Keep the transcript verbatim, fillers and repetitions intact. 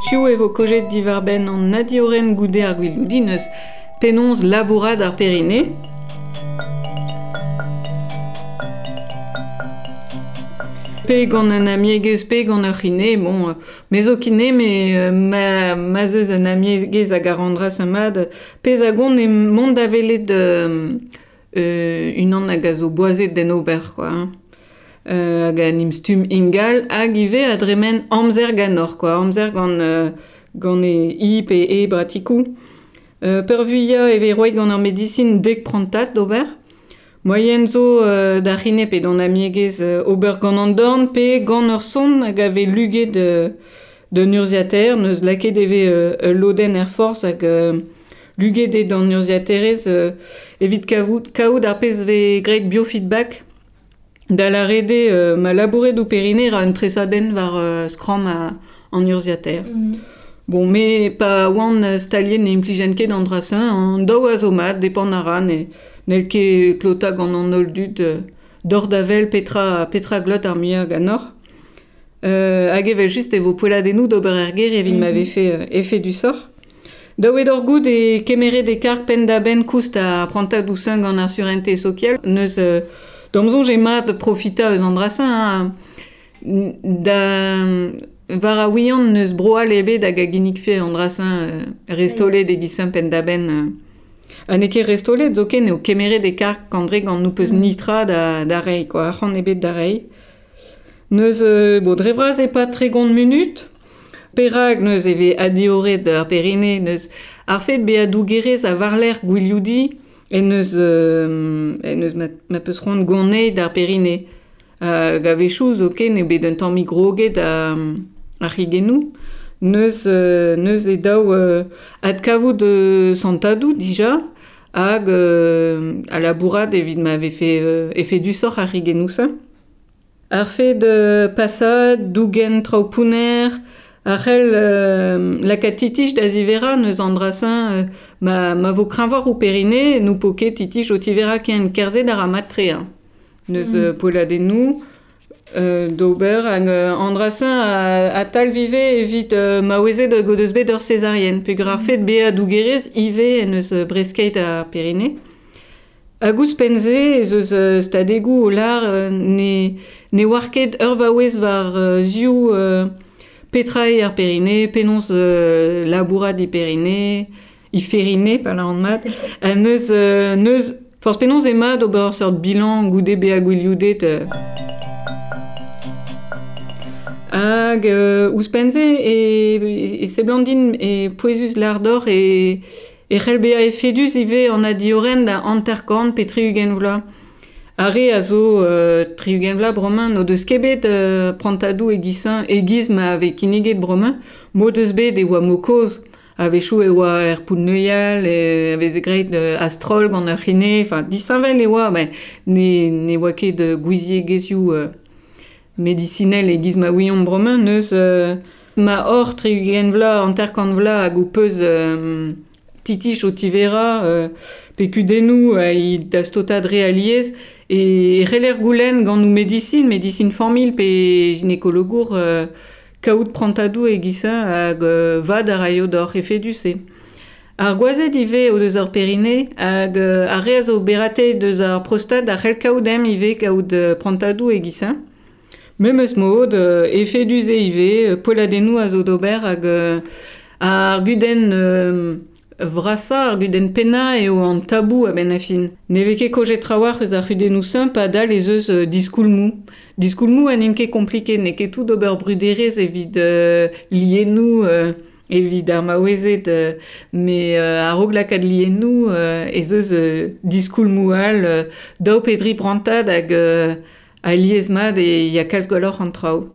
Piv e vo kojet diwar-benn an adioren goude ar gwilioudin eus penaos labourat ar perine. Pe gant an amiegez, pe gant ur c'hine, bon, me zo kine, me ma, ma zeus an amiegez hag ar andras mad, pezh a gont e mont da welet euh, euh, unan hag a zo boazet d'en ober, quoi. Hein. Euh, hag an imstum ingal, hag ivez a dremen amzer ganor, quoi, amzer gant, euh, gant e i pe e bratikou. Euh, peurvuiañ e vez roet gant ar medisin dek prantad d'ober. Moaien zo euh, da c'hine pe d'an amiegez euh, ober gant an dorn pe gant ur son hag a vez luget euh, d'un urzhiataer, neus lakaet e vez euh, ul lodenn er forzh hag euh, luget eo d'an urzhiataerez euh, evit kavout, kaout ar pezh vez graet biofeedback. Da lâret eo euh, ma labouret ou perine ra un tresadenn war euh, skramm a, an urzhiataer. Mm. Bon, me pa oan staliet ne implijen ket an dra-se, an daou a zo mat, depend a ra, ne, n'hell ket klota gant an holl dud euh, dor da vel petra, petra glot ar muiañ ganeoc'h. Euh, hag evel just e vo poelladennoù d'ober er gêr evit ma Mhm. vefe euh, efed du sort. Daou eo d'hor goût e kemeret e karg penn-da-benn koust ar prantadoù seun gant ar surente sokial. Neus euh, d'am soñj eo mat profitañ eus an dra-se, hein. Da war a ouian neus bro all ebet hag a ginnikfe an dra-se euh, restolet e giz penn-da-benn. Euh. Ha n'eo ket restolet zoken eo kemeret e karg kandre gant nou peus Mm. nitra da, da reiñ, quoi, arc'hant ebet da reiñ. Neus, euh, bon, dre vras e pa tregont munut, perak neus e vez adioret ar perine, neus ar fet bezañ dougerez a war-lerc'h gwilioudi en neus, euh, en neus ma, ma peus c'hoant goneit d'ar perine. Hag a-wechoù zoken eo bet un tammig groget a, ar c'higennoù. Neus, euh, neus e daou euh, adkavout euh, santadoù dija hag euh, a labourat evit ma vefe euh, efed du sort ar c'higennoù-se. Ar fet euh, pasad, dougen traoù pounner, ar c'hell euh, lakaat titich da zivera neus an dra-se euh, ma, ma vo kreñvoc'h ou perine, nou po ket titich o tivera ken kerzhet ar mat tre. Hein. Neus Mm. euh, poelladennoù euh, d'ober hag euh, an dra-se a, a tal vive evit euh, maouezed hag o deus bet ur césarienne. Peogwir ar Mm. fet bezañ dougerez ivez en eus euh, breskeit ar perine. Hag ouzhpenn-se ez eus euh, stadegoù o lar euh, ne, ne oar ket ur vaouez war euh, ziv euh, petra eo ar perine, penaos euh, labourat e perine, i ferine, pa lâran mat. Ha neus, euh, neus, forzh penaos eo mat ober ur seurt bilan goude bezañ gwilioudet. Euh. Hag euh, ouzhpenn-se e, e seblant din e pouezus lardor e, e c'hell bezañ efedus ivez an adioren da hanter-kant pe tri-ugent vloaz. Ar re a zo euh, tri-ugent vloaz bremañ n'o deus ket bet euh, prantadoù e-giz-se e-giz ma vez kinniget bremañ, m'o deus bet e oa mo kozh. A-wechoù e oa er poull-neuial, e veze graet euh, a-stroll gant ur c'hine, enfin disheñvel e oa, met ne, ne oa ket euh, gouiziegezhioù euh, medisinel e-giz ma ouiomp bremañ, neus euh, ma hor tri-ugent vloaz, hanter-kant vloaz hag ho peus euh, titich o tivera, euh, pe kudennoù a i da stotad re alies, e c'heller goulenn gant nou medisin, medisin familh pe ginekologour euh, kaout prantadoù e-giz-se hag euh, vad a raio d'hor efedus eo. Ar gwazed ivez o deus ar perine hag euh, ar re a zo berate deus ar prostad a c'hell kaout em ivez kaout euh, prantadoù e-giz-se. Memes mod, euh, efedus eo ivez, euh, poelladennoù a zo d'ober hag euh, ar gudenn euh, vrasañ, ar gudenn pennañ eo an tabou a-benn ar fin. Ne vez ket kojet trawalc'h eus ar c'hudennoù-se padal ez eus euh, diskoulmoù. Diskoulmoù ha n'int ket kompliket, n'eo ket tout d'ober bruderezh evit euh, liennoù, euh, evit ar maouezed, euh, met euh, a-raok lakaat liennoù euh, ez eus euh, diskoulmoù all, euh, daou pe dri prantad hag euh, alies mat e ya kalz gwelloc'h an traoù.